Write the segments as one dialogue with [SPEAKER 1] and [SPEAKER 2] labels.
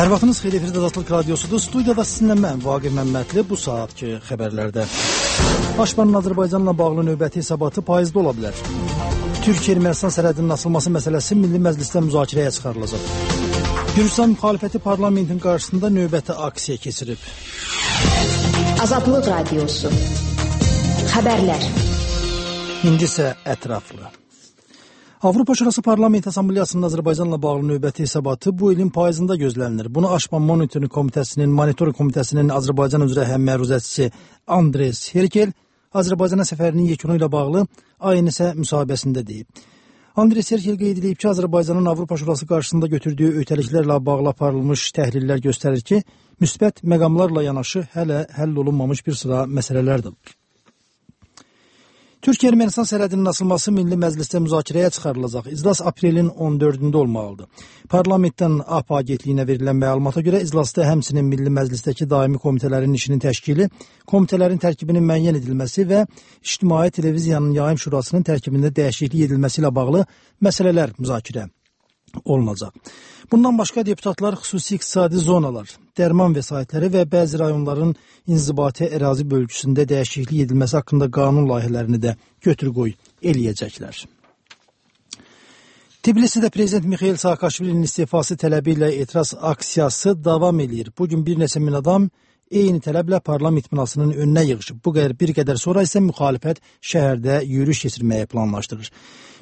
[SPEAKER 1] Hər vaxtınız xeyir, efirdə Azadlıq Radiosudur. Studiyada sizinlə mən, Vaqif Məmmədli, bu saatki xəbərlərdə. Başbakanın Azərbaycanla bağlı növbəti hesabatı payızda ola bilər. Türkiyə-Ermənistan sərhədinin açılması məsələsi Milli Məclisdə müzakirəyə çıxarılacaq. Gürcüstan müxalifəti parlamentin qarşısında növbəti aksiya keçirib.
[SPEAKER 2] Azadlıq Radiosu. Xəbərlər.
[SPEAKER 1] İndi isə ətraflı. Avropa Şurası Parlament Assambleyasının Azərbaycanla bağlı növbəti hesabatı bu ilin payızında gözlənilir. Bunu Aşman Monitoring Komitəsinin Azərbaycan üzrə həmməruzəçisi Andres Herkel Azərbaycana səfərinin yekunu ilə bağlı ANS müsahibəsində deyib. Andres Herkel qeyd edib ki, Azərbaycanın Avropa Şurası qarşısında götürdüyü öhdəliklərlə bağlı aparılmış təhlillər göstərir ki, müsbət məqamlarla yanaşı hələ həll olunmamış bir sıra məsələlərdir. Türkiyə-Ermənistan sərhədinin açılması Milli Məclisdə müzakirəyə çıxarılacaq. İclas aprelin 14-də olmalıdır. Parlamentdən AP agentliyinə verilən məlumata görə iclasda həmçinin Milli Məclisdəki daimi komitələrin işinin təşkili, komitələrin tərkibinin müəyyən edilməsi və İctimai Televiziyanın Yayım Şurasının tərkibində dəyişiklik edilməsi ilə bağlı məsələlər müzakirə olunacaq. Bundan başqa deputatlar xüsusi iqtisadi zonalar, dərman vəsaitləri və bəzi rayonların inzibati ərazi bölgüsündə dəyişiklik edilməsi haqqında qanun layihələrini də götür-qoy eləyəcəklər. Tbilisidə Prezident Mikhail Saakashvilinin istifası tələbi ilə etiraz aksiyası davam edir. Bugün bir neçə min adam eyni tələblə parlament binasının önünə yığışıb. Bir qədər sonra isə müxalifət şəhərdə yürüyüş keçirməyə planlaşdırır.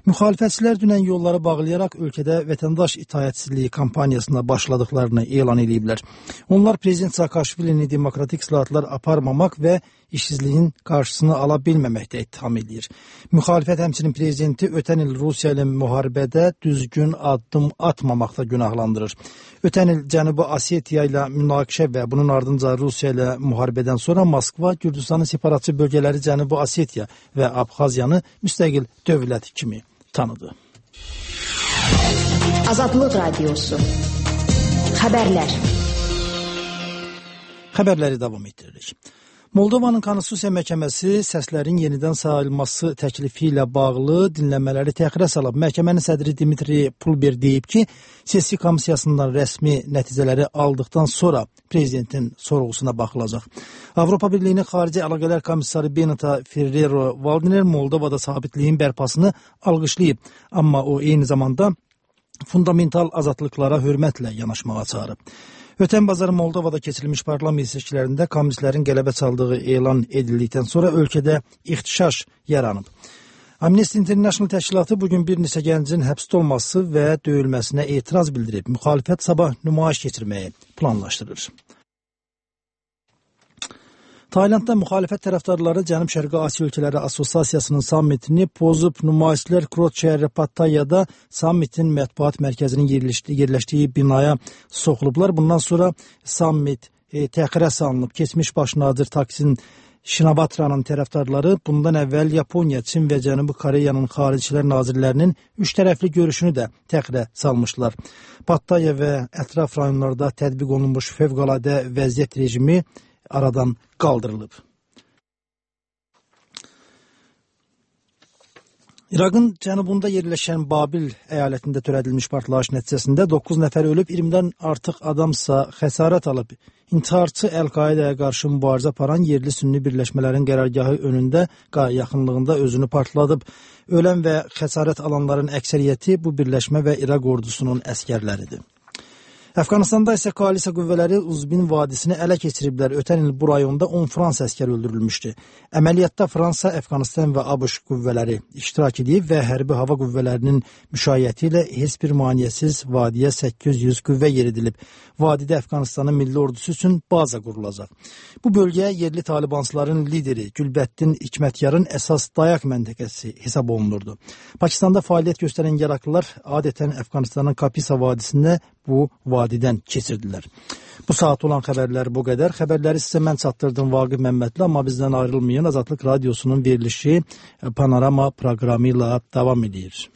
[SPEAKER 1] Müxalifətçilər dünən yolları bağlayaraq ölkədə vətəndaş itaətsizliyi kampaniyasına başladıqlarını elan ediblər. Onlar Prezident Saakashvilini demokratik islahatlar aparmamaq və işsizliyin qarşısını ala bilməməkdə ittiham edir. Müxalifət həmçinin prezidenti ötən il Rusiya ilə müharibədə düzgün addım atmamaqda günahlandırır. Ötən il Cənubi Osetiya ilə münaqişə və bunun ardınca Rusiya ilə müharibədən sonra Moskva Gürcüstanın separatçı bölgələri Cənubi Osetiya və Abxaziyanı müstəqil dövlət kimi tanıdı.
[SPEAKER 2] Azadlıq Radiosu. Xəbərlər.
[SPEAKER 1] Xəbərləri davam etdiririk. Moldovanın Konstitusiya Məhkəməsi səslərin yenidən sayılması təklifi ilə bağlı dinləmələri təxirə salıb. Məhkəmənin sədri Dmitri Pulber deyib ki, sessiya komissiyasından rəsmi nəticələri aldıqdan sonra prezidentin sorğusuna baxılacaq. Avropa Birliyinin Xarici Əlaqələr Komissarı Benita Ferrero-Waldner Moldovada sabitliyin bərpasını alqışlayıb, amma o eyni zamanda fundamental azadlıqlara hörmətlə yanaşmağa çağırıb. Ötən bazar Moldovada keçirilmiş parlament seçkilərində kommunistlərin qələbə çaldığı elan edildikdən sonra ölkədə ixtişaş yaranıb. Amnesty International təşkilatı bugün bir neçə gəncin həbsdə olması və döyülməsinə etiraz bildirib. Müxalifət sabah nümayiş keçirməyi planlaşdırır. Taylandda müxalifət tərəfdarları Cənub-Şərqi Asiya Ölkələri Assosiasiyasının sammitini pozub. Nümayişçilər Krot şəhəri Pattayada sammitin mətbuat mərkəzinin yerləşdiyi binaya soxulublar. Bundan sonra sammit təxirə salınıb. Keçmiş baş nazir Taksin Şinavatranın tərəfdarları bundan əvvəl Yaponiya, Çin və Cənubi Koreyanın xaricilər nazirlərinin üç tərəfli görüşünü də təxirə salmışlar. Pattaya və ətraf rayonlarda tətbiq olunmuş fövqəladə vəziyyət rejimi aradan qaldırılıb. İraqın cənubunda yerləşən Babil əyalətində törədilmiş partlayış nəticəsində 9 nəfər ölüb, 20-dən artıq adamsa xəsarət alıb. İntiharçı Əl-Qaidaya qarşı mübarizə aparan yerli sünni birləşmələrin qərargahı önündə yaxınlığında özünü partladıb. Ölən və xəsarət alanların əksəriyyəti bu birləşmə və İraq ordusunun əskərləridir. Əfqanistanda isə koalisiya qüvvələri Uzbin vadisini ələ keçiriblər. Ötən il bu rayonda 10 Fransa əskəri öldürülmüşdü. Əməliyyatda Fransa, Əfqanistan və ABŞ qüvvələri iştirak edib və hərbi hava qüvvələrinin müşayiəti ilə heç bir maneəsiz vadiyə 800 qüvvə yeridilib. Vadidə Əfqanistanın milli ordusu üçün baza qurulacaq. Bu bölgə yerli talibansların lideri Gülbəddin Hikmətyarın əsas dayaq məntəqəsi hesab olunurdu. Pakistanda fəaliyyət göstərən yaraqlılar adətən Əfqanistanın Kapisa vadisində bu vadidən keçirdilər. Bu saat olan xəbərlər bu qədər. Xəbərləri sizə mən çatdırdım Vaqif Məmmədli, amma bizdən ayrılmayın. Azadlıq Radiosunun verilişi Panorama proqramı ilə davam edir.